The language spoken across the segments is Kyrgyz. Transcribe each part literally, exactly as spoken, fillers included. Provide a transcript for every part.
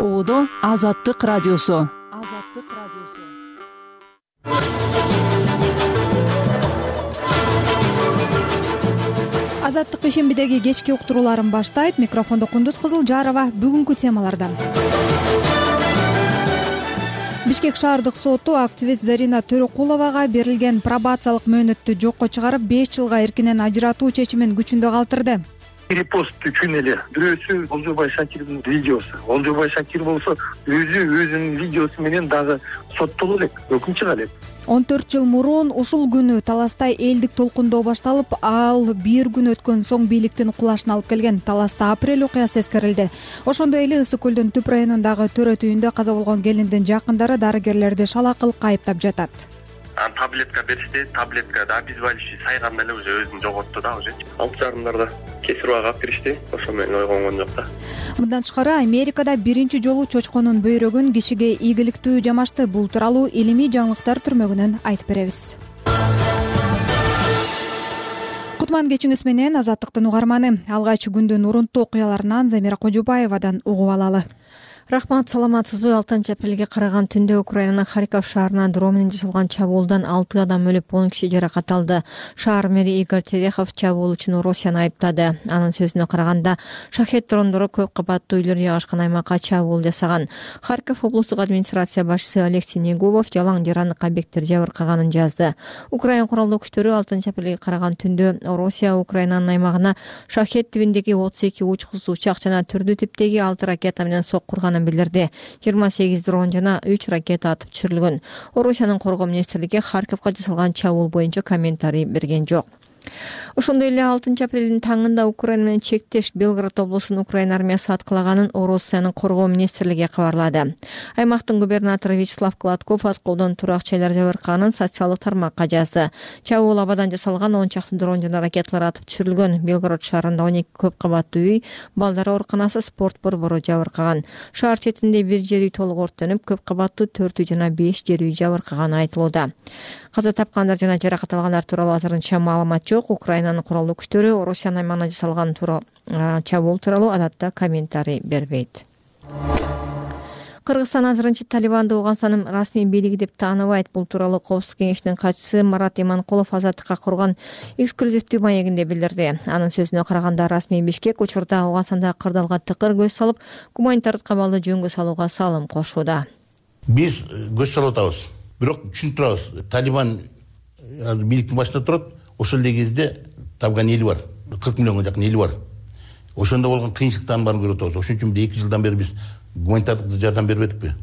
Оодо Азаттык радиосу. Азаттык радиосу. Азаттык ишембидеги кечки уктурууларын баштайт. Микрофондо Кундуз Кызылжарова. Бүгүнкү темалардан: Бишкек шаардык соту активист Зарина Төрөкуловага берилген пробациялык мөөнөттү жокко чыгарып, беш жылга эркинен ажыратуу чечимин күчүндө калтырды. Репост үчүн эле бирөөсү Олжобай Шакирдин видеосу. Олжобай Шакир болсо өзү өзүнүн видеосу менен дагы соттоло элек, өкүм чыга элек. он төрт жыл мурун ушул күнү Таластай элдик толкундоо башталып, ал бир күн өткөн соң бийликтин кулашына алып келген. Таласта апрель окуясы эскерилди. Ошондой эле Ысык көлдүн Түп районундагы төрөт үйүндө каза болгон келиндин жакындары дарыгерлерди шалакылыкка айыптап жатат. Таблетка беришти, таблетка да обезболивающий сайганда эле уже өзүн жоготту да, уже алты жарымдарда кесир убагы алып киришти. Ошо менен ойгонгон жок да. Мындан тышкары Америкада биринчи жолу чочконун бөйрөгүн кишиге ийгиликтүү жамашты. Бул тууралуу илимий жаңылыктар түрмөгүнөн айтып беребиз. Кутман кечиңиз менен Азаттыктын угарманы. Алгач күндүн урунттуу окуяларынан Замира Кожубаевадан угуп алалы. Рахмат, саламатсызбы? алтынчы апрелге караган түндө Украинанын Харьков шаарына дрон менен жасалган чабуулдан алты адам өлүп, он киши жаракат алды. Шаар мэри Игорь Терехов чабуул үчүн Орусияны айыптады. Анын сөзүнө караганда, шахет дрондору көп кабаттуу үйлөр жайгашкан аймакка чабуул жасаган. Харьков облустук администрация башчысы Алексей Негубов жалаң жарандык объекттер жабыркаганын жазды. Украин куралдуу күчтөрү алтынчы апрелге караган түндө Орусия Украинанын аймагына шахет тибиндеги отуз эки учкус учак жана түрдүү типтеги алты ракета менен соккурганын билдирди. жыйырма сегиз дрон жана үч ракета атып түшүрүлгөн. Орусиянын коргоо министрлиги Харьковго жасалган чабуул боюнча комментарий берген жок. Ошондой эле алтынчы апрелдин таңында Украина менен чектеш Белгород облусунун Украина армиясы аткалаганын Орусиянын коргоо министрлиги кабарлады. Аймактын губернатору Вячеслав Гладков аткоодон турак жайлар жабыркаганын социалдык тармакка жазды. Чабуул абадан жасалган он чакты дрон жана ракеталар атып түшүрүлгөн. Белгород шаарында он эки көп кабаттуу үй, балдар ооруканасы, спорт борбору жабыркаган. Шаар четинде бир жер үй толук өрттөнүп, көп кабаттуу төрт үй жана беш жер үй жабыркаганы айтылууда. Каза тапкандар жана жаракат алгандар тууралуу азырынча маалымат жок. Украинанын куралдуу күчтөрү Орусиянын аймагына жасалган чабуул тууралуу адатта комментарий бербейт. Кыргызстан азырынча Талибанды Ооганстандын расмий бийлиги деп тааныбайт. Бул тууралуу Коопсуздук кеңешинин катчысы Марат Иманкулов Азаттыкка курган эксклюзивдүү маегинде билдирди. Анын сөзүнө караганда, расмий Бишкек учурда Ооганстандагы кырдаалга тыкыр көз салып, гуманитардык кабалды жөнгө салууга салым кошууда. Биз көз салып атабыз. Бирок түшүнүп турабыз. Талибан бийликтин башында турат. Ошол эле кезде табган эли бар. кырк миллионго жакын эли бар. Ошондо болгон кыйынчылыктарын баарын көрүп атабыз. Ошон үчүн эки жылдан бери биз гуманитардык жардам бербедикпи?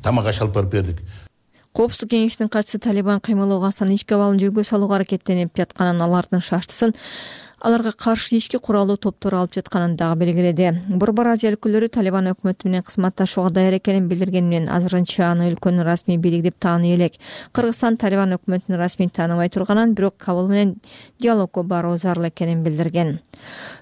Тамак аш алып барып бердик. Коопсуздук кеңешинин катчысы Талибан кыймылы Ооганстандын ички абалын жөнгө салууга аракеттенип жатканын, алардын шаштысын аларга каршы ички куралдуу топтор алып жатканын дагы белгиледи. Борбор Азия өлкөлөрү Талибан өкмөтү менен кызматташууга даяр экенин билдирген менен азырынча аны өлкөнүн расмий бийлиги деп тааный элек. Кыргызстан Талибан өкмөтүн расмий тааныбай турганын, бирок Кабул менен диалогго баруу зарыл экенин билдирген.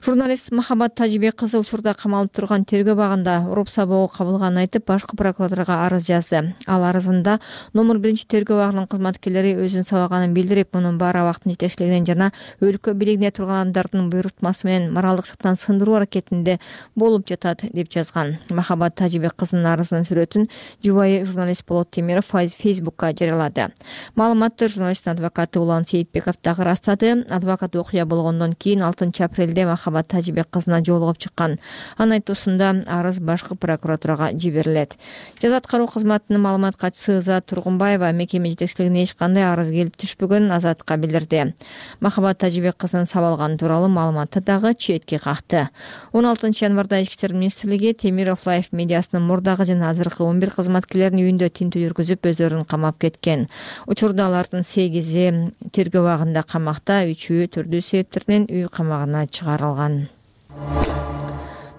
Журналист Махабат Тажибек кызы учурда камалып турган тергөө багында уруп сабоого кабылганын айтып, башкы прокуратурага арыз жазды. Ал арызында номер биринчи тергөө багынын кызматкерлери өзүн сабаганын билдирип, мунун баары абактын жетекчилигинен жана өлкө бийлигине турган адамдардын буйрутмасы менен моралдык жактан сындыруу аракетинде болуп жатат деп жазган. Махабат Тажибек кызынын арызынын сүрөтүн жубайы журналист Болот Темиров Фейсбукка жарыялады. Маалыматты журналисттин адвокаты Улан Сейитбеков дагы ырастады. Адвокат окуя болгондон кийин алтынчы апрелде Махабат Тажибек кызына жолугуп чыккан. Анын айтуусунда арыз башкы прокуратурага жиберилет. Жаза аткаруу кызматынын маалымат катчысы Зат Тургунбаева мекеме жетекчилигине эч кандай арыз келип түшпөгөнүн Азатка билдирди. Махабат Тажибек кызынын сабалганы тууралуу маалыматты дагы четке какты. он алтынчы январда Ички иштер министрлиги Темиров Лайф медиасынын мурдагы жана азыркы он бир кызматкерлерин үйүндө тинтүү жүргүзүп, өздөрүн камап кеткен. Учурда алардын сегизи тергөө абагында камакта, үчөө түрдүү себептерден үй камагына чыгарылган.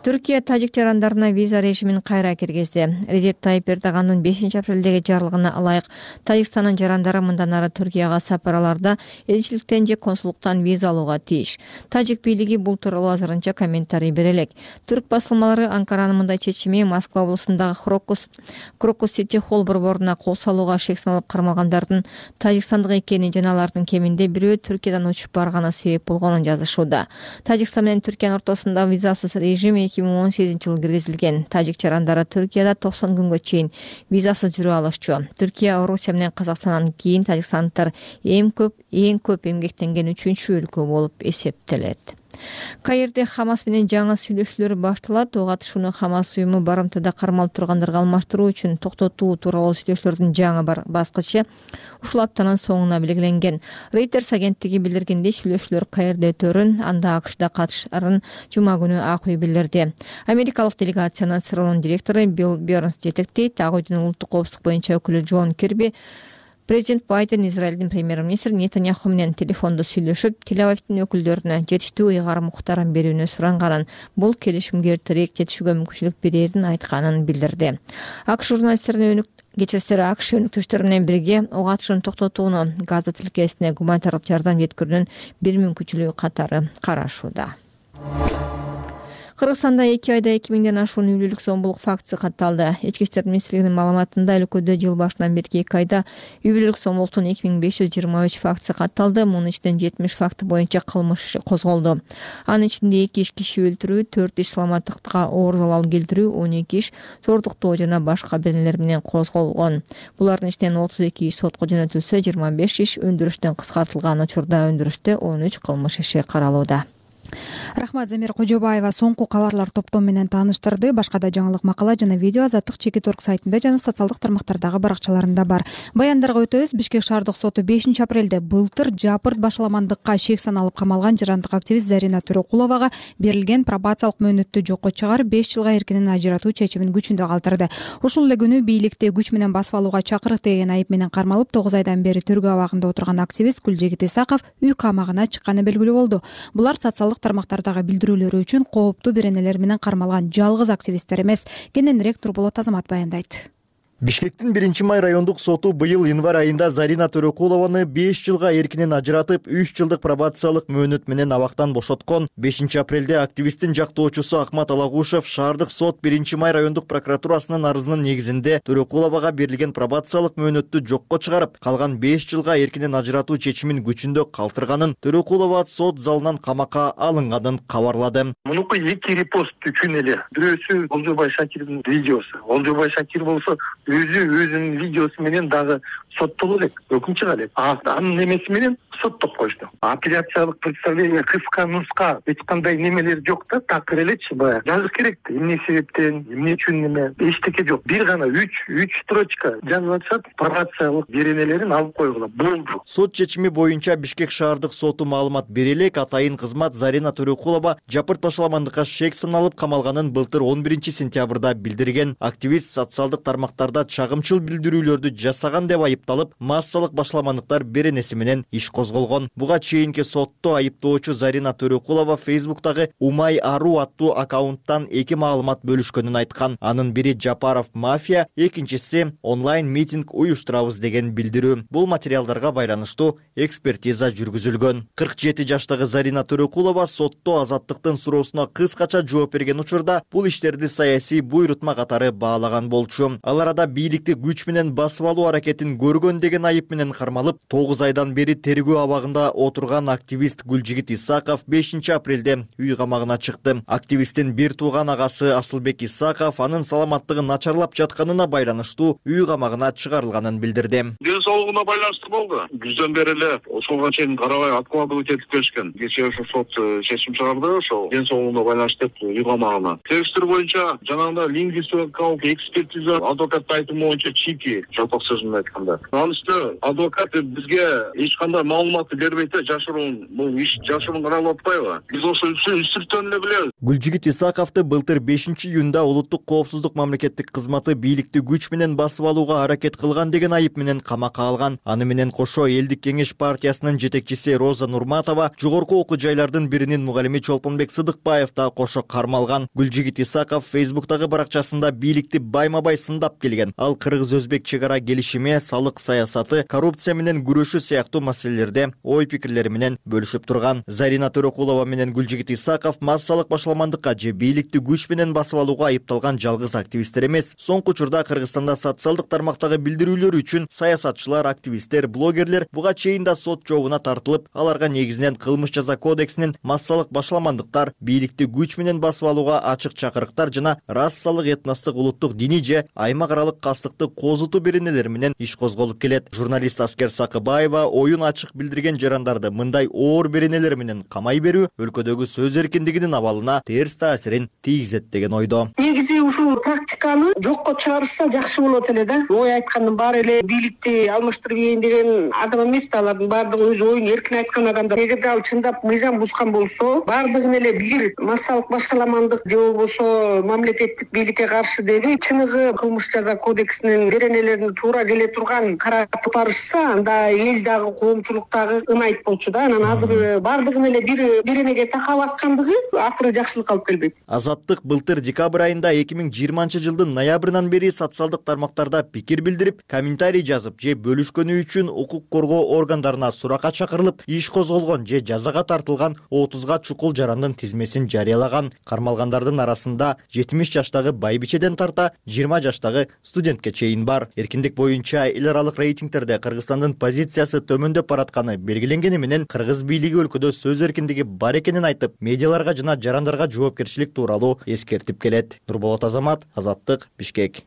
Түркия тажик жарандарына виза режимин кайра киргизди. Режеп Тайип Эрдогандын бешинчи апрелдеги жарлыгына ылайык Тажикстандын жарандары мындан ары Түркияга сапарларда элчиликтен же консулдуктан виза алууга тийиш. Тажик бийлиги бул тууралуу азырынча комментарий бере элек. Түрк басылмалары Анкаранын мындай чечими Москва облусундагы Крокус Крокус Сити Холл борборуна кол салууга шек салып кармалгандардын тажикстандык экенин жана алардын кеминде бирөө Түркиядан учуп барганы себеп болгонун жазышууда. Тажикстан менен Түркиянын ортосунда визасыз режим эки миң он сегизинчи жылы киргизилген. Тажик жарандары Түркияда токсон күнгө чейин визасыз жүрө алышчу. Түркия, Орусия менен Казакстандан кийин тажикстандыктар эң көп эң көп эмгектенген үчүнчү өлкө болуп эсептелет. Каирде Хамас менен жаңы сүйлөшүүлөр башталат. Ого катышууну Хамас уюму барымтада кармалып тургандарга алмаштыруу үчүн токтотуу тууралуу сүйлөшүүлөрдүн жаңы баскычы ушул аптанын соңуна белгиленген. Reuters агенттиги билдиргендей, сүйлөшүүлөр Каирде өтөрүн, анда АКШда катышарын жума күнү Ак үй билдирди. Америкалык делегациянын СРОнун директору Билл Бернс жетектейт. Ак үйдүн улуттук коопсуздук боюнча өкүлү Джон Кирби Президент Байден Израилдин премьер-министри Нетаньяху менен телефондо сүйлөшүп, Тель-Авивдин өкүлдөрүнө жетиштүү ыйгарым муктарын берүүнү суранганын, бул келишимге эртерээк жетишүүгө мүмкүнчүлүк берерин айтканын билдирди. АКШ журналисттерине кечирсиз АКШ өнүктүштөрү менен бирге ого катышууну токтотууну, Газа тилкесине гуманитардык жардам жеткирүүнүн бир мүмкүнчүлүгү катары карашууда. Кыргызстанда эки айда эки миңден ашуун үйлүүлүк зомбулук фактысы катталды. Ички иштер министрлигинин маалыматында өлкөдө жыл башынан берки эки айда үйлүүлүк зомбулуктун эки миң беш жүз жыйырма үч фактысы катталды. Мунун ичинен жетимиш факты боюнча кылмыш иши козголду. Анын ичинде эки иш киши өлтүрүү, төрт иш саламаттыкка оор залал келтирүү, он эки иш зордуктоо жана башка беренелер менен козголгон. Булардын ичинен отуз эки иш сотко жөнөтүлсө, жыйырма беш иш өндүрүштөн кыскартылган учурда өндүрүштө он үч кылмыш иши каралууда. Рахмат, Замир Кожобаева соңку кабарлар топтому менен тааныштырды. Башка да жаңылык, макала жана видео Азаттык чекит орг сайтында жана социалдык тармактардагы баракчаларында бар. Баяндарга өтөбүз. Бишкек шаардык соту бешинчи апрелде былтыр жапырт башаламандыкка шек саналып камалган жарандык активист Зарина Төрөкуловага берилген пробациялык мөөнөттү жокко чыгарып, беш жылга эркинен ажыратуу чечимин күчүндө калтырды. Ушул эле күнү бийликти күч менен басып алууга чакырык деген айып менен кармалып, тогуз айдан бери тергөө абагында отурган активист Гүлжегит Исаков үй камагына чыкканы белгилүү болду. Булар социалдык тармактардагы билдирүүлөрү үчүн кооптуу беренелер менен кармалган жалгыз активисттер эмес. Кененирээк Турболот Азамат баяндайт. Бишкектин биринчи май райондук соту быйыл январь айында Зарина Төрөкулованы беш жылга эркинен ажыратып, үч жылдык пробациялык мөөнөт менен абактан бошоткон. бешинчи апрелде активисттин жактоочусу Акмат Алагушев шаардык сот биринчи май райондук прокуратурасынын арызынын негизинде Төрөкуловага берилген пробациялык мөөнөттү жокко чыгарып, калган беш жылга эркинен ажыратуу чечимин күчүндө калтырганын, Төрөкулова сот залынан камакка алынганын кабарлады. Мунуку эки репост үчүн эле. Бирөөсү Олжобай Шакирдин видеосу. Олжобай Шакир болсо өзү өзүнүн видеосу менен дагы соттоло элек, өкүм чыга элек. Анын немеси менен соттоп коюшту. Апелляциялык представление кыска нуска эч кандай немелер жок да, такыр элечи баягы. Жазыш керек да, эмне себептен, эмне үчүн неме, эчтеке жок. Бир гана үч үч строчка жазып атышат, пробациялык беренелерин алып койгула болду. Сот чечими боюнча Бишкек шаардык соту маалымат бере элек, атайын кызмат Зарина Төрөкулова жапырт башаламандыкка шек саналып камалганын былтыр он биринчи сентябрда билдирген. Активист социалдык тармактарда чагымчыл билдирүүлөрдү жасаган деп айыпталып, массалык башаламандыктар беренеси менен иш козголгон. Буга чейинки сотто айыптоочу Зарина Төрөкулова Фейсбуктагы Умай Ару аттуу аккаунттан эки маалымат бөлүшкөнүн айткан. Анын бири Жапаров мафия, экинчиси онлайн митинг уюштурабыз деген билдирүү. Бул материалдарга байланыштуу экспертиза жүргүзүлгөн. кырк жети жаштагы Зарина Төрөкулова сотто азаттыктын суроосуна кыскача жооп берген учурда бул иштерди саясий буйрутма катары баалаган болчу. Ал арада бийликти күч менен басып алуу аракетин көргөн деген айып менен кармалып, тогуз айдан бери тергөө абагында отурган активист Гүлжегит Исаков бешинчи апрелде үй камагына чыкты. Активисттин бир тууган агасы Асылбек Исаков анын саламаттыгы начарлап жатканына байланыштуу үй камагына чыгарылганын билдирди. Ден соолугуна байланыштуу болду. Күздөн бери эле ошого чейин карабай откладывать этип келишкен. Кечээ ошо сот чечим чыгарды, ошо ден соолугуна байланыштуу деп үй камагына. Текстер боюнча жанагында лингвистикалык экспертиза адвокаттын айтымы боюнча чики жалпак сөзүн айтканда. Анын үстүнө адвокат бизге эч кандай маалыматты бербейт да, жашыруун, бул иш жашыруун каралып атпайбы? Биз ошо үстүртөн эле билебиз. Гүлжегит Исаковду былтыр бешинчи июнда улуттук коопсуздук мамлекеттик кызматы бийликти күч менен басып алууга аракет кылган деген айып менен камакка алган. Аны менен кошо Элдик кеңеш партиясынын жетекчиси Роза Нурматова, жогорку окуу жайлардын биринин мугалими Чолпонбек Сыдыкбаев да кошо кармалган. Гүлжегит Исаков Фейсбуктагы баракчасында бийликти байма-бай сындап келген. Ал кыргыз-өзбек чек ара келишими, салык саясаты, коррупция менен күрөшүү сыяктуу маселелерди жерде ой пикирлери менен бөлүшүп турган. Зарина Төрөкулова менен Гүлжигит Исаков массалык башаламандыкка же бийликти күч менен басып алууга айыпталган жалгыз активисттер эмес. Соңку учурда Кыргызстанда социалдык тармактагы билдирүүлөр үчүн саясатчылар, активисттер, блогерлер буга чейин да сот жообуна тартылып, аларга негизинен кылмыш жаза кодексинин массалык башаламандыктар, бийликти күч менен басып алууга ачык чакырыктар жана расалык, этностук, улуттук, диний же аймак аралык кастыкты козутуу беренелери менен иш козголуп келет. Журналист Аскер Сакыбаева оюн ачык билдирген жарандарды мындай оор беренелер менен камай берүү өлкөдөгү сөз эркиндигинин абалына терс таасирин тийгизет деген ойдо. Негизи ушул практиканы жокко чыгарышса жакшы болот эле да. Ой айткандын баары эле бийликти алмаштырып ийин деген адам эмес да, алардын баардыгы өз оюн эркин айткан адамдар. Эгерде ал чындап мыйзам бузган болсо, баардыгын эле бир массалык башаламандык же болбосо мамлекеттик бийликке каршы деп чыныгы кылмыш жаза кодексинин беренелерине туура келе турган каратып барышса, анда эл дагы коомчулук дагы ынайт болчу да. Анан азыр баардыгын эле бир беренеге такап аткандыгы акыры жакшылыкка алып келбейт. Азаттык былтыр декабрь айында эки миң жыйырманчы жылдын ноябрынан бери социалдык тармактарда пикир билдирип, комментарий жазып же бөлүшкөнү үчүн укук коргоо органдарына суракка чакырылып, иш козголгон же жазага тартылган отузга чукул жарандын тизмесин жарыялаган. Кармалгандардын арасында жетимиш жаштагы байбичеден тарта жыйырма жаштагы студентке чейин бар. Эркиндик боюнча эл аралык рейтингтерде Кыргызстандын позициясы төмөндөп баратканы белгиленгени менен кыргыз бийлиги өлкөдө сөз эркиндиги бар экенин айтып, медиаларга жана жарандарга жоопкерчилик тууралуу эскертип келет. Нурболот Азамат, Азаттык, Бишкек.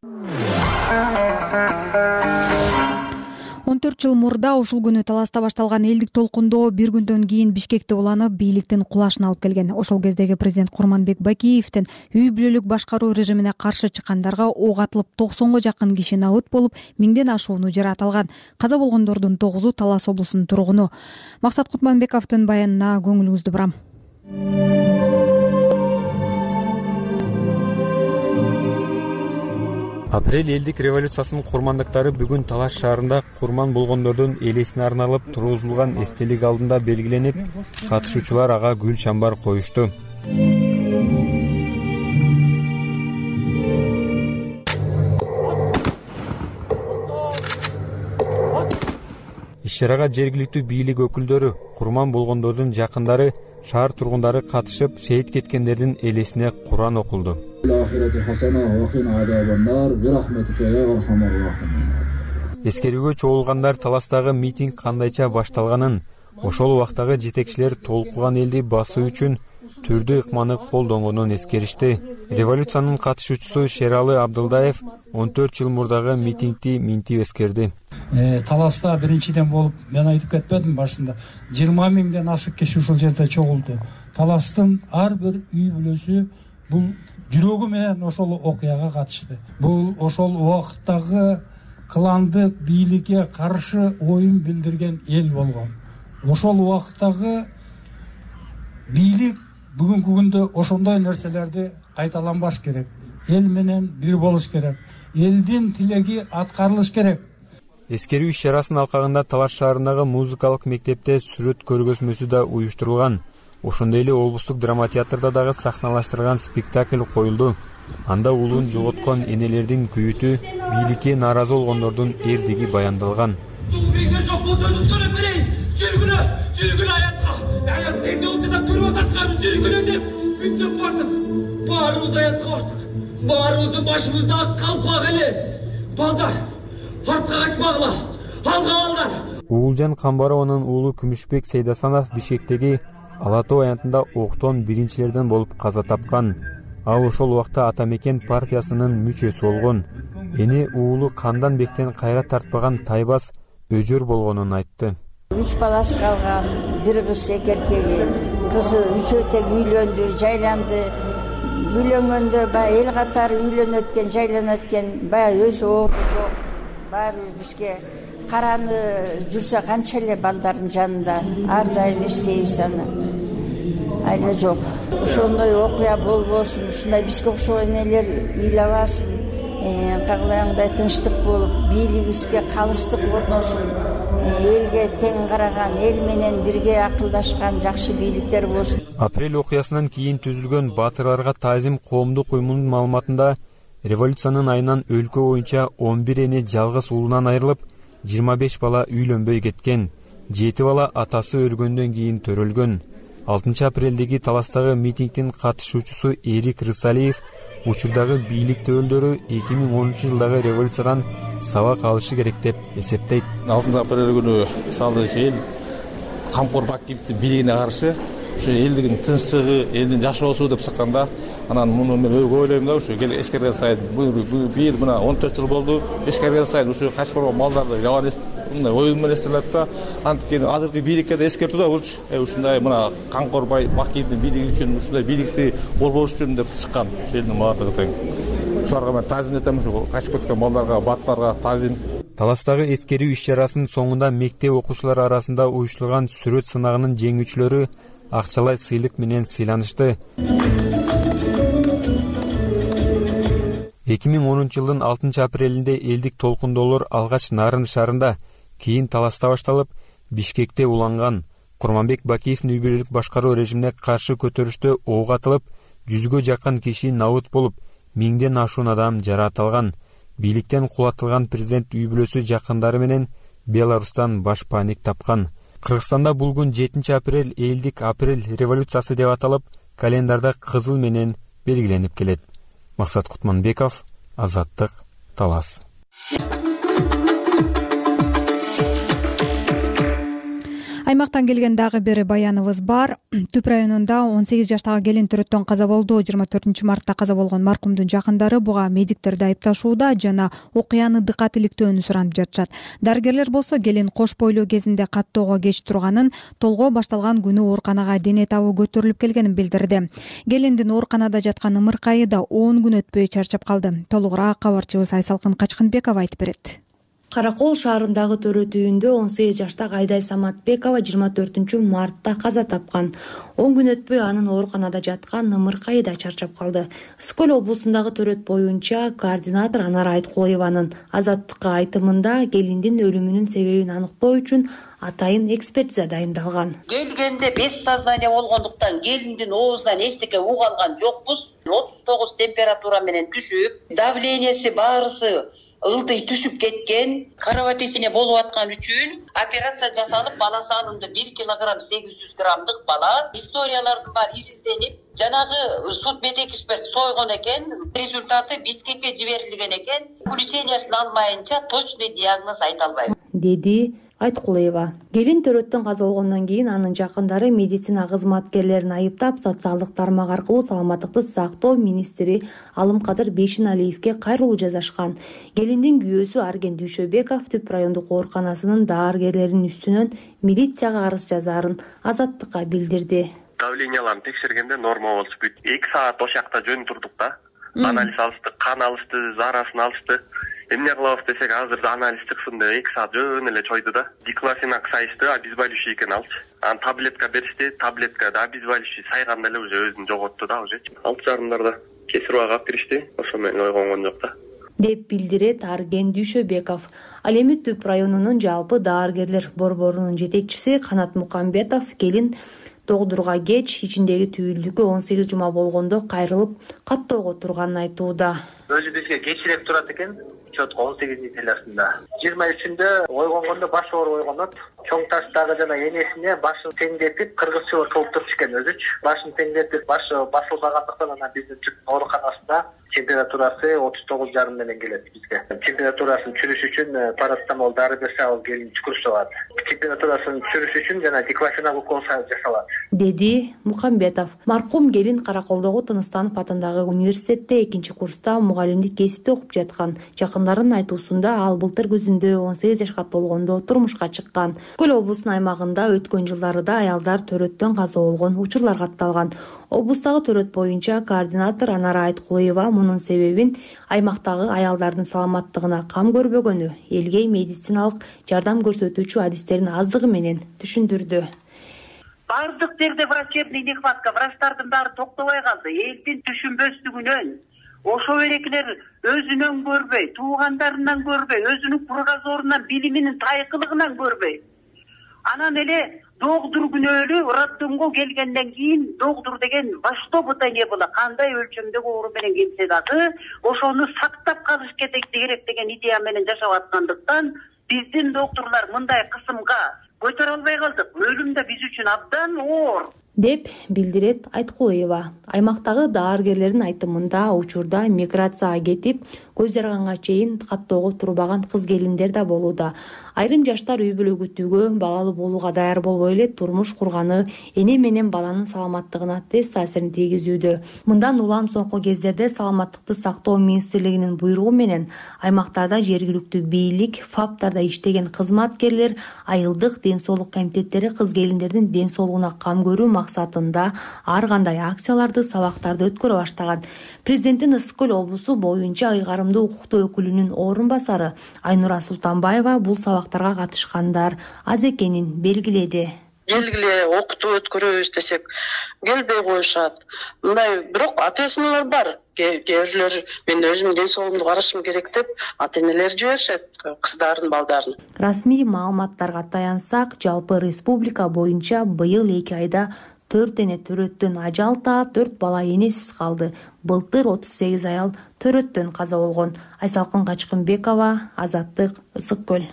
он төрт жыл мурда ушул күнү таласта башталган элдик толкундоо бир күндөн кийин Бишкекте уланып, бийликтин кулашына алып келген. Ошол кездеги президент Курманбек Бакиевдин үй бүлөлүк башкаруу режимине каршы чыккандарга ок атылып токсонго жакын киши набыт болуп, миңден ашууну жаратылган. Каза болгондордун тогузу Талас облусунун тургуну. Максат Кутманбековдун баянына көңүлүңүздү бурам. Апрель элдик революциясынын курмандыктары бүгүн Талас шаарында курман болгондордун элесине арналып тургузулган эстелик алдында белгиленип, катышуучулар ага гүл чамбар коюшту. Иш-чарага жергиликтүү бийлик өкүлдөрү, курман болгондордун жакындары, шаар тургундары катышып, шейит кеткендердин элесине Куран окулду. Эскерүүгө чогулгандар Таластагы митинг кандайча башталганын, ошол убактагы жетекчилер толкуган элди басуу үчүн түрдүү ыкманы колдонгонун эскеришти. Революциянын катышуучусу Шералы Абдылдаев он төрт жыл мурдагы митингди минтип эскерди. Таласта биринчиден болуп, мен айтып кетпедим башында, жыйырма миңден ашык киши ушул жерде чогулду. Таластын ар бир үй бүлөсү бул жүрөгү менен ошол окуяга катышты. Бул ошол убакыттагы кландык бийликке каршы оюн билдирген эл болгон. Ошол убакыттагы бийлик бүгүнкү күндө ошондой нерселерди кайталанбаш керек. Эл менен бир болуш керек. Элдин тилеги аткарылыш керек. Эскерүү иш-чарасынын алкагында Талас шаарындагы музыкалык мектепте сүрөт көргөзмөсү да уюштурулган. Ошондой эле облустук драма театрда дагы сахналаштырылган спектакль коюлду. Анда улун жоготкон энелердин күйүтү, бийликке нааразы болгондордун эрдиги баяндалган. Жүргүлө, жүргүлө аятка. Аят эмне болду да көрүп атасыңар, жүргүлө деп үндөп бардым. Баарыбыз аятка бардык. Баарыбыздын башыбызда ак калпак эле. Балдар, артка качпагыла. Алга балдар. Уулжан Камбарованын уулу Күмүшбек Сейдасанов Бишкектеги Ала Тоо аянтында октон биринчилерден болуп каза тапкан. Ал ошол убакта Ата Мекен партиясынын мүчөсү болгон. Эни уулу Кандан Бектен кайра тартпаган тайбас өжөр болгонун айтты. Үч баласы калган, бир кыз эки эркеги. Кызы үчөө тең үйлөндү, жайланды. Үйлөнгөндө баягы эл катары үйлөнүп өткөн, жайланып өткөн, баягы өзү оору жок. Баары бизге караны жүрсө канча эле балдардын жанында ар дайым эстейбиз аны. Айла жок. Ошондой окуя болбосун, ушундай бизге окшогон энелер ыйлабасын. Кагылаңдай тынчтык болуп, бийлигибизге калыстык орносун. Элге тең караган, эл менен бирге акылдашкан жакшы бийликтер болсун. Апрель окуясынан кийин түзүлгөн Батырларга таазим коомдук уюмунун маалыматында революциянын айынан өлкө боюнча он бир эне жалгыз уулунан айрылып, жыйырма беш бала үйлөнбөй кеткен. жети бала атасы өлгөндөн кийин төрөлгөн. алтынчы апрелдеги таластагы митингдин катышуучусу Эрик Рысалиев учурдагы бийлик өкүлдөрү эки миң онунчу жылдагы революциядан сабак алышы керек деп эсептейт. алтынчы апрель күнү мисалы эл камкор Бакиевдин бийлигине каршы ушу элдин тынчтыгы, элдин жашоосу деп чыкканда, анан муну мен ойлойм да, ушу кел эскерген сайын бул бир мына он төрт жыл болду, эскерген сайын ушу качып калган малдарды жаман мындай ой менен эстелет да. Анткени азыркы бийликке да эскертүү да булчу. Э ушундай мына камкор Бакиевдин бийлиги үчүн ушундай бийликти болбош үчүн деп чыккан элдин маатыгы тең. Ушуларга мен таазим этем, ушу качып кеткен балдарга, баттарга таазим. Таластагы эскерүү иш-чарасынын соңунда мектеп окуучулары арасында уюштурулган сүрөт сынагынын жеңүүчүлөрү акчалай сыйлык менен сыйланышты. эки миң онунчу жылдын алтынчы апрелинде элдик толкундоолор алгач Нарын шаарында, кийин Таласта башталып, Бишкекте уланган. Курманбек Бакиевдин үй бүлөлүк башкаруу режимине каршы көтөрүштө ок атылып, жүзгө жакын киши набыт болуп, миңден ашуун адам жаратылган. Бийликтен кулатылган президент үй бүлөсү жакындары менен Беларустан баш паник тапкан. Кыргызстанда бул күн жетинчи апрель элдик апрель революциясы деп аталып, календарда кызыл менен белгиленип келет. Максат Кутманбеков, Азаттык, Талас. Аймактан келген дагы бир баяныбыз бар. Түп районунда он сегиз жаштагы келин төрөттөн каза болду. жыйырма төртүнчү мартта каза болгон маркумдун жакындары буга медиктерди айыпташууда жана окуяны дыкат иликтөөнү суранып жатышат. Дарыгерлер болсо келин кош бойлуу кезинде каттоого кеч турганын, толгоо башталган күнү ооруканага дене табы көтөрүлүп келгенин билдирди. Келиндин ооруканада жаткан ымыркайы да он күн өтпөй чарчап калды. Толугураак кабарчыбыз Айсалкын Качкынбекова айтып берет. Каракол шаарындагы төрөт үйүндө он сегиз жаштагы Айдай Саматбекова жыйырма төртүнчү мартта каза тапкан. он күн өтпөй анын ооруканада жаткан ымыркайы да чарчап калды. Ысык көл облусундагы төрөт боюнча координатор Анара Айткулоеванын Азаттыкка айтымында келиндин өлүмүнүн себебин аныктоо үчүн атайын экспертиза дайындалган. Келгенде бес сознание болгондуктан келиндин оозунан эчтеке угуп алган жокпуз. отуз тогуз температура менен түшүп, давлениеси баарысы ылдый түшүп кеткен, кровотечение болуп аткан үчүн операция жасалып, бала салынды. бир килограмм сегиз жүз граммдык бала. Историялардын баары изизденип, жанагы судмедэксперт сойгон экен, результаты Бишкекке жиберилген экен. Заключениясын алмайынча точный диагноз айта албайм, деди Айткулоева. Келин төрөттөн каза болгондон кийин анын жакындары медицина кызматкерлерин айыптап, социалдык тармак аркылуу саламаттыкты сактоо министри Алымкадыр Бейшеналиевге кайрылуу жазашкан. Келиндин күйөөсү Арген Дүйшөбеков Түп райондук ооруканасынын дааргерлеринин үстүнөн милицияга арыз жазаарын Азаттыкка билдирди. Давленияларын текшергенде норма болчу бүт. эки саат ошол жакта жөн турдук да. Анализ алышты, кан алышты, зарасын алышты. Эмне кылабыз десек, азыр анализ чыксын деп эки саат жөн эле чойду да. Диклофенак сайышты, обезболивающий экен алчы. Анан таблетка беришти, таблеткада обезболивающий сайганда эле уже өзүн жоготту да уже. алты жарымдарда кесирбага алып киришти, ошо менен ойгонгон жок да, деп билдирет Арген Дүйшөбеков. Ал эми Түп районунун жалпы дааргерлер борборунун жетекчиси Канат Мукамбетов келин догдурга кеч ичиндеги түйүлдүккө он сегиз жума болгондо кайрылып каттоого турганын айтууда. Өзү бизге кечирээк турат экен. он сегизинчи теласында. жыйырма үчүндө ойгонгондо башы ооруп ойгонот. Чоң таштагы жана энесине башын теңдетип, кыргызча кылып туруш экен өзүчү. Башын теңдетип, башы басылбагандыктан анан биздин Түп ооруканасында температурасы отуз тогуз жарым менен келет бизге. Температурасын түшүрүш үчүн парацетамол дары берсе, ал келин түкүрүп чыгат. Температурасын түшүрүш үчүн жана диклофенак укол жасалат, деди Мукамбетов. Маркум келин Караколдогу Тыныстанов атындагы университетте экинчи курста мугалимдик кесипти окуп жаткан. Жакындарынын айтуусунда ал былтыр күзүндө он сегиз жашка толгондо турмушка чыккан. Көл облусунун аймагында өткөн жылдарда аялдар төрөттөн каза болгон учурлар катталган. Облустагы төрөт боюнча координатор Анара Айткулоева мунун себебин аймактагы аялдардын саламаттыгына кам көрбөгөнү, элге медициналык жардам көрсөтүүчү адистердин аздыгы менен түшүндүрдү. Бардык жерде врачебный нехватка, врачтардын баары токтобой калды. Элдин түшүнбөстүгүнөн ошо берекилер өзүнөн көрбөй, туугандарынан көрбөй, өзүнүн кругозорунан, билиминин тайкылыгынан көрбөй. Анан эле догдур күнөөлүү роддомго келгенден кийин догдур деген во что бы то ни было, кандай өлчөмдөгү оору менен келсе дагы ошону сактап калыш керек деген идея менен жашап аткандыктан биздин доктурлар мындай кысымга көтөрө албай калдык. Өлүм да биз үчүн абдан оор деп билдирет Айткулоева. Аймактагы дааргерлердин айтымында учурда миграцияга кетип, көз жарганга чейин каттоого турбаган кыз келиндер да болууда. Айрым жаштар үй бүлө күтүүгө, балалуу болууга даяр болбой эле турмуш курганы эне менен баланын саламаттыгына терс таасирин тийгизүүдө. Мындан улам соңку кездерде саламаттыкты сактоо министрлигинин буйругу менен аймактарда жергиликтүү бийлик, фаптарда иштеген кызматкерлер, айылдык ден соолук комитеттери кыз келиндердин ден соолугуна кам көрүү максатында ар кандай акцияларды, сабактарды өткөрө баштаган. Президенттин Ысык Көл облусу боюнча ыйгарымдуу укуктуу өкүлүнүн орун басары Айнура Султанбаева бул сабактарга катышкандар аз экенин белгиледи. Келгиле окутуп өткөрөбүз десек келбей коюшат. Мындай бирок ата-энелер бар. Кээ бирлер мен өзүм ден соолугумду карашым керек деп ата-энелер жиберишет кыздарын, балдарын. Расмий маалыматтарга таянсак, жалпы республика боюнча быйыл эки айда төрт эне төрөттөн ажал таап, төрт бала энесиз калды. Былтыр отуз сегиз аял төрөттөн каза болгон. Айсалкын Качкынбекова, Азаттык, Ысык Көл.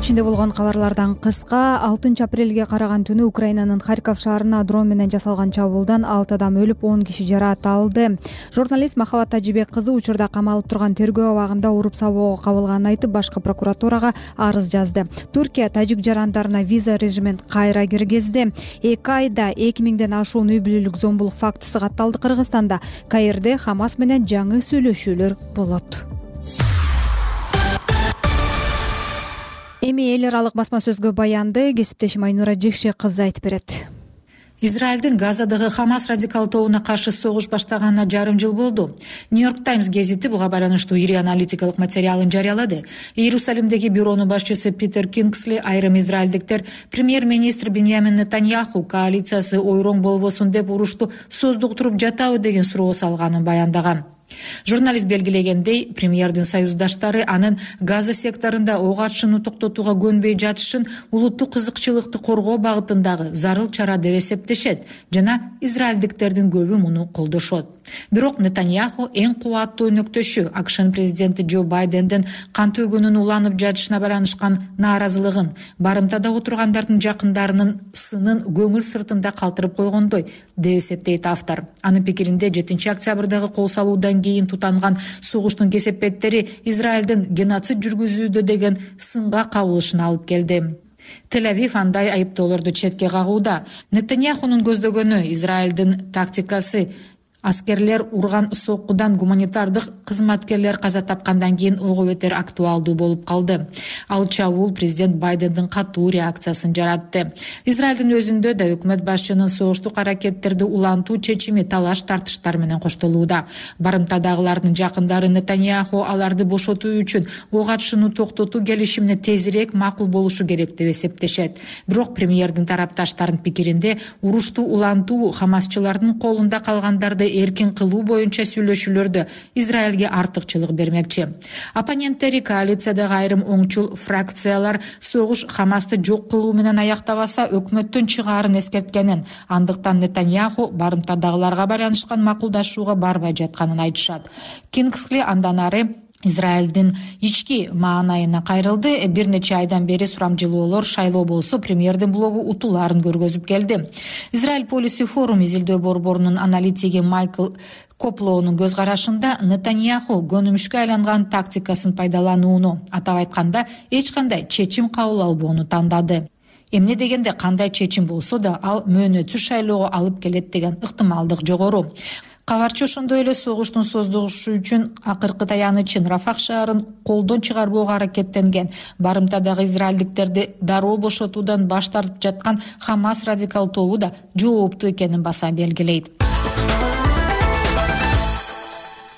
Ичинде болгон кабарлардан кыска. алтынчы апрелге караган түнү Украинанын Харьков шаарына дрон менен жасалган чабуулдан алты адам өлүп, он киши жаракат алды. Журналист Махабат Тажибек кызы учурда камалып турган тергөө абагында уруп сабоого кабылганын айтып, башкы прокуратурага арыз жазды. Түркия тажик жарандарына виза режимин кайра киргизди. эки айда эки миңден ашуун үй бүлөлүк зомбулук фактысы катталды. Кыргызстанда Каирде Хамас менен жаңы сүйлөшүүлөр болот. Эми эл аралык басма сөзгө баянды кесиптешим Айнура Жекше кызы айтып берет. Израилдин Газадагы Хамас радикал тобуна каршы согуш баштаганына жарым жыл болду. Нью-Йорк Таймс гезити буга байланыштуу ири аналитикалык материалын жарыялады. Иерусалимдеги бюронун башчысы Питер Кингсли айрым израилдиктер премьер-министр Беньямин Нетаньяху коалициясы ойроң болбосун деп урушту создуктуруп жатабы деген суроо салганын баяндаган. Журналист белгилегендей, премьердин союздаштары анын Газа секторунда ок атышууну токтотууга көнбөй жатышын улуттук кызыкчылыкты коргоо багытындагы зарыл чара деп эсептешет жана израилдиктердин көбү муну колдошот. Бирок Нетаньяху эң кубаттуу өнөктөшү АКШнын президенти Джо Байдендин кан төгүүнүн уланып жатышына байланышкан нааразылыгын, барымтада отургандардын жакындарынын сынын көңүл сыртында калтырып койгондой деп эсептейт автор. Анын пикиринде жетинчи октябрдагы кол салуудан кийин тутанган согуштун кесепеттери Израилдин геноцид жүргүзүүдө деген сынга кабылышына алып келди. Тель-Авив андай айыптоолорду четке кагууда. Нетаньяхунун көздөгөнү Израилдин тактикасы аскерлер урган соккудан гуманитардык кызматкерлер каза тапкандан кийин ого бетер актуалдуу болуп калды. Ал чабуул президент Байдендин катуу реакциясын жаратты. Израилдин өзүндө да өкмөт башчынын согуштук аракеттерди улантуу чечими талаш тартыштар менен коштолууда. Барымтадагылардын жакындары Нетаньяху аларды бошотуу үчүн ок атышууну токтотуу келишимине тезирээк макул болушу керек деп эсептешет. Бирок премьердин тарапташтарынын пикиринде урушту улантуу хамасчылардын колунда калгандарды эркин кылуу боюнча сүйлөшүүлөрдө Израилге артыкчылык бермекчи. Оппоненттери коалициядагы айрым оңчул фракциялар согуш Хамасты жок кылуу менен аяктабаса өкмөттүн чыгаарын эскерткенин, андыктан Нетаньяху барымтадагыларга байланышкан макулдашууга барбай жатканын айтышат. Кингсли андан ары Израилдин ички маанайына кайрылды. Бир нече айдан бери сурамжылоолор шайлоо болсо премьердин блогу утуларын көргөзүп келди. Израиль Policy Forum изилдөө борборунун аналитиги Майкл Коплоонун көз карашында Нетаньяху көнүмүшкө айланган тактикасын пайдаланууну, атап айтканда эч кандай чечим кабыл албоону тандады. Эмне дегенде кандай чечим болсо да ал мөөнөтсүз шайлоого алып келет деген ыктымалдык жогору. Кабарчы ошондой эле согуштун создугушу үчүн акыркы таянычын Рафах шаарын колдон чыгарбоого аракеттенген, барымтадагы израилдиктерди дароо бошотуудан баш тартып жаткан Хамас радикал тобу да жооптуу экенин баса белгилейт.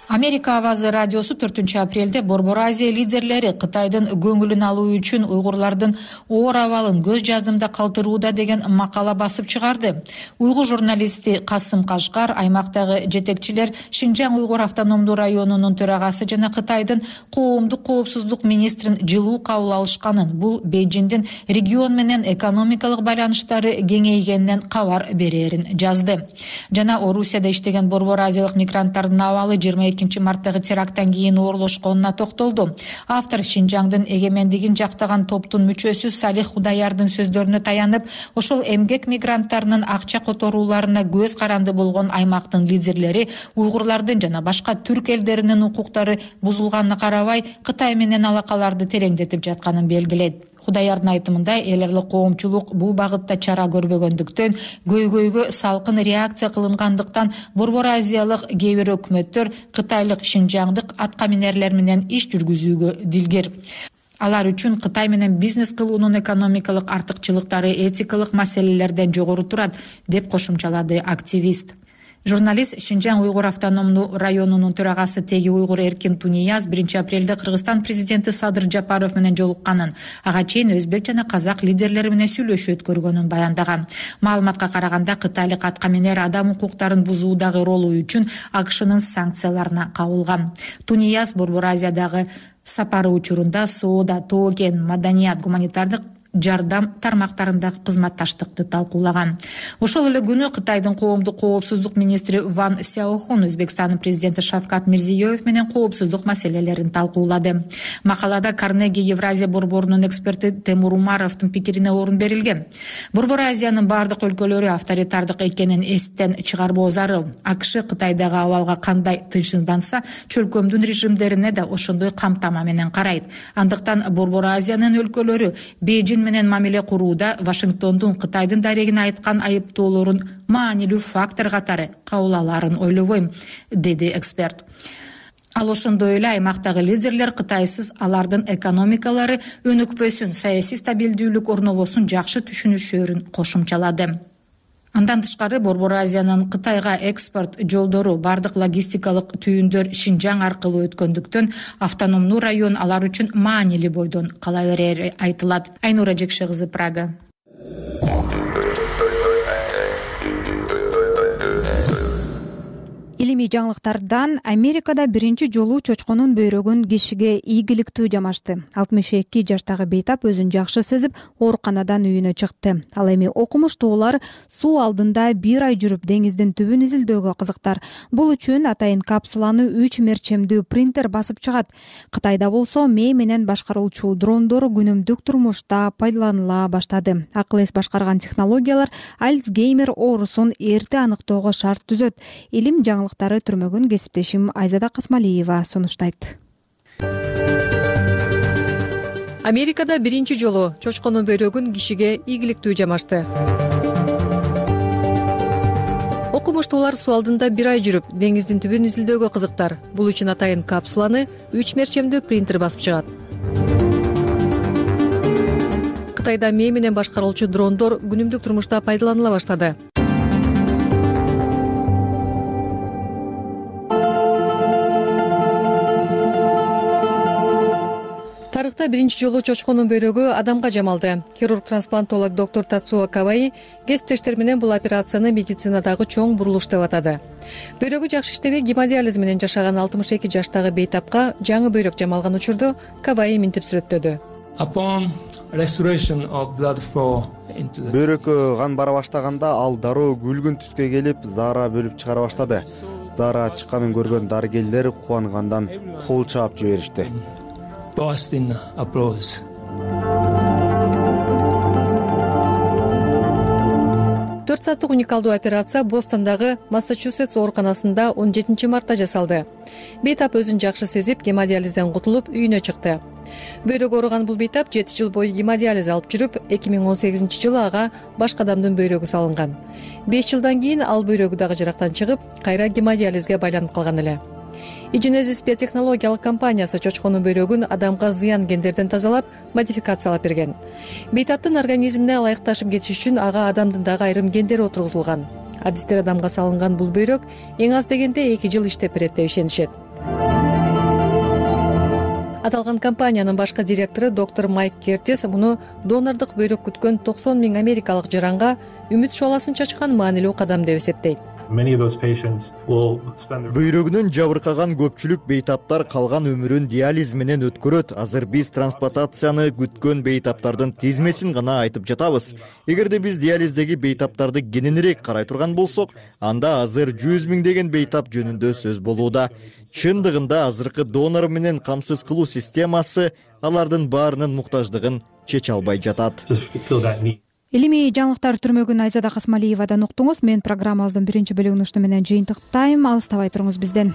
Америка Авазы радиосу төртүнчү апрелде Борбор Азия лидерлери Кытайдын көңүлүн алуу үчүн уйгурлардын оор абалын көз жаздымда калтырууда деген макала басып чыгарды. Уйгур журналисти Касым Кашкар аймактагы жетекчилер Шинжаң уйгур автономдуу районунун төрагасы жана Кытайдын коомдук коопсуздук министрин жылуу кабыл алышканын, бул Бейжиңдин регион менен экономикалык байланыштары кеңейгенинен кабар берерин жазды. Жана Орусияда иштеген Борбор Азиялык мигранттардын абалы жыйырма экинчи экинчи марттагы теракттан кийин оорлошконуна токтолду. Автор Шинжаңдын эгемендигин жактаган топтун мүчөсү Салих Худаярдын сөздөрүнө таянып, ошол эмгек мигранттарынын акча которууларына көз каранды болгон аймактын лидерлери уйгурлардын жана башка түрк элдеринин укуктары бузулганына карабай Кытай менен алакаларды тереңдетип жатканын белгилейт. Худаярдын айтымында эл аралык коомчулук бул багытта чара көрбөгөндүктөн, көйгөйгө салкын реакция кылынгандыктан Борбор Азиялык кээ бир өкмөттөр кытайлык Шинжаңдык аткаминерлер менен иш жүргүзүүгө дилгер. Алар үчүн Кытай менен бизнес кылуунун экономикалык артыкчылыктары этикалык маселелерден жогору турат, деп кошумчалады активист. Журналист Шинжаң уйгур автономдуу районунун төрагасы Теги уйгур Эркин Тунияз биринчи апрелде Кыргызстан президенти Садыр Жапаров менен жолукканын, ага чейин өзбек жана казак лидерлери менен сүйлөшүү өткөргөнүн баяндаган. Маалыматка караганда кытайлык аткаминер адам укуктарын бузуудагы ролу үчүн АКШнын санкцияларына кабылган. Тунияз Борбор Азиядагы сапары учурунда соода, тоген, маданият, гуманитардык жардам тармактарында кызматташтыкты талкуулаган. Ошол эле күнү Кытайдын коомдук коопсуздук министри Ван Сяохун Өзбекстандын президенти Шавкат Мирзиёев менен коопсуздук маселелерин талкуулады. Макалада Карнеги Евразия борборунун эксперти Темур Умаровдун пикирине орун берилген. Борбор Азиянын бардык өлкөлөрү авторитардык экенин эстен чыгарбоо зарыл. АКШ Кытайдагы абалга кандай тынчсызданса, чөлкөмдүн режимдерине да ошондой камтама менен карайт. Андыктан Борбор Азиянын өлкөлөрү Бейжин менен мамиле курууда Вашингтондун Кытайдын дарегине айткан айыптоолорун маанилүү фактор катары кабыл алаарын ойлобойм, деди эксперт. Ал ошондой эле аймактагы лидерлер Кытайсыз алардын экономикалары өнүкпөсүн, саясий стабилдүүлүк орнобосун жакшы түшүнүшөрүн кошумчалады. Андан тышкары Борбор Азиянын Кытайга экспорт жолдору, бардык логистикалык түйүндөр Шинжаң аркылуу өткөндүктөн автономдуу район алар үчүн маанилүү бойдон кала берери айтылат. Айнура Жекше кызы, Прага. Илимий жаңылыктардан Америкада биринчи жолу чочконун бөйрөгүн кишиге ийгиликтүү жамашты. алтымыш эки жаштагы бейтап өзүн жакшы сезип, ооруканадан үйүнө чыкты. Ал эми окумуштуулар суу алдында бир ай жүрүп деңиздин түбүн изилдөөгө кызыктар. Бул үчүн атайын капсуланы үч мерчемдүү принтер басып чыгат. Кытайда болсо мээ менен башкарылчу дрондор күнүмдүк турмушта пайдаланыла баштады. Акыл эс башкарган технологиялар Альцгеймер оорусун эрте аныктоого шарт түзөт. Илим жаңылыктары түрмөгүн кесиптешим Айзада Касмалиева сунуштайт. Америкада биринчи жолу чочконун бөйрөгүн кишиге ийгиликтүү жамашты. Окумуштуулар суу алдында бир ай жүрүп, деңиздин түбүн изилдөөгө кызыктар. Бул үчүн атайын капсуланы үч мерчемдүү принтер басып чыгат. Кытайда мээ менен башкарылчу дрондор күнүмдүк турмушта пайдаланыла баштады. Тарыхта биринчи жолу чочконун бөйрөгү адамга жамалды. Хирург-трансплантолог доктор Тацуо Каваи кесиптештер менен бул операцияны медицинадагы чоң бурулуш деп атады. Бөйрөгү жакшы иштебей гемодиализ менен жашаган алтымыш эки жаштагы бейтапка жаңы бөйрөк жамалган учурду Каваи минтип сүрөттөдү. Бөйрөккө кан бара баштаганда ал дароо күлгүн түскө келип, заара бөлүп чыгара баштады. Заара чыкканын көргөн дарыгерлер кубангандан кол чаап жиберишти. Boston applause. төрт сааттык уникалдуу операция Бостондагы Массачусетс ооруканасында он жетинчи мартта жасалды. Бейтап өзүн жакшы сезип, гемодиализден кутулуп, үйүнө чыкты. Бөйрөгү ооруган бул бейтап жети жыл бою гемодиализ алып жүрүп, эки миң он сегизинчи жылы ага башка адамдын бөйрөгү салынган. беш жылдан кийин ал бөйрөгү дагы жарактан чыгып, кайра гемодиализге байланып калган эле. iGenesis биотехнологиялык компаниясы чочконун бөйрөгүн адамга зыян гендерден тазалап, модификациялап берген. Бейтаптын организмине ылайыкташып кетиш үчүн ага адамдын дагы айрым гендери отургузулган. Адистер адамга салынган бул бөйрөк эң аз дегенде эки жыл иштеп берет деп ишенишет. Аталган компаниянын башкы директору доктор Майк Кертис муну донордук бөйрөк күткөн токсон миң америкалык жаранга үмүт шоласын чачкан маанилүү кадам деп эсептейт. бөйрөгүнөн жабыркаган көпчүлүк бейтаптар калган өмүрүн диализ менен өткөрөт. Азыр биз трансплантацияны күткөн бейтаптардын тизмесин гана айтып жатабыз. Эгерде биз диализдеги бейтаптарды кененирээк карай турган болсок, анда азыр жүз миңдеген бейтап жөнүндө сөз болууда. Чындыгында азыркы донор менен камсыз кылуу системасы алардын баарынын муктаждыгын чече албай жатат. Илимий жаңылыктар түрмөгүн Айзада Касмалиевадан уктуңуз. Мен программабыздын биринчи бөлүгүн ушуну менен жыйынтыктайм. Алыстабай туруңуз бизден.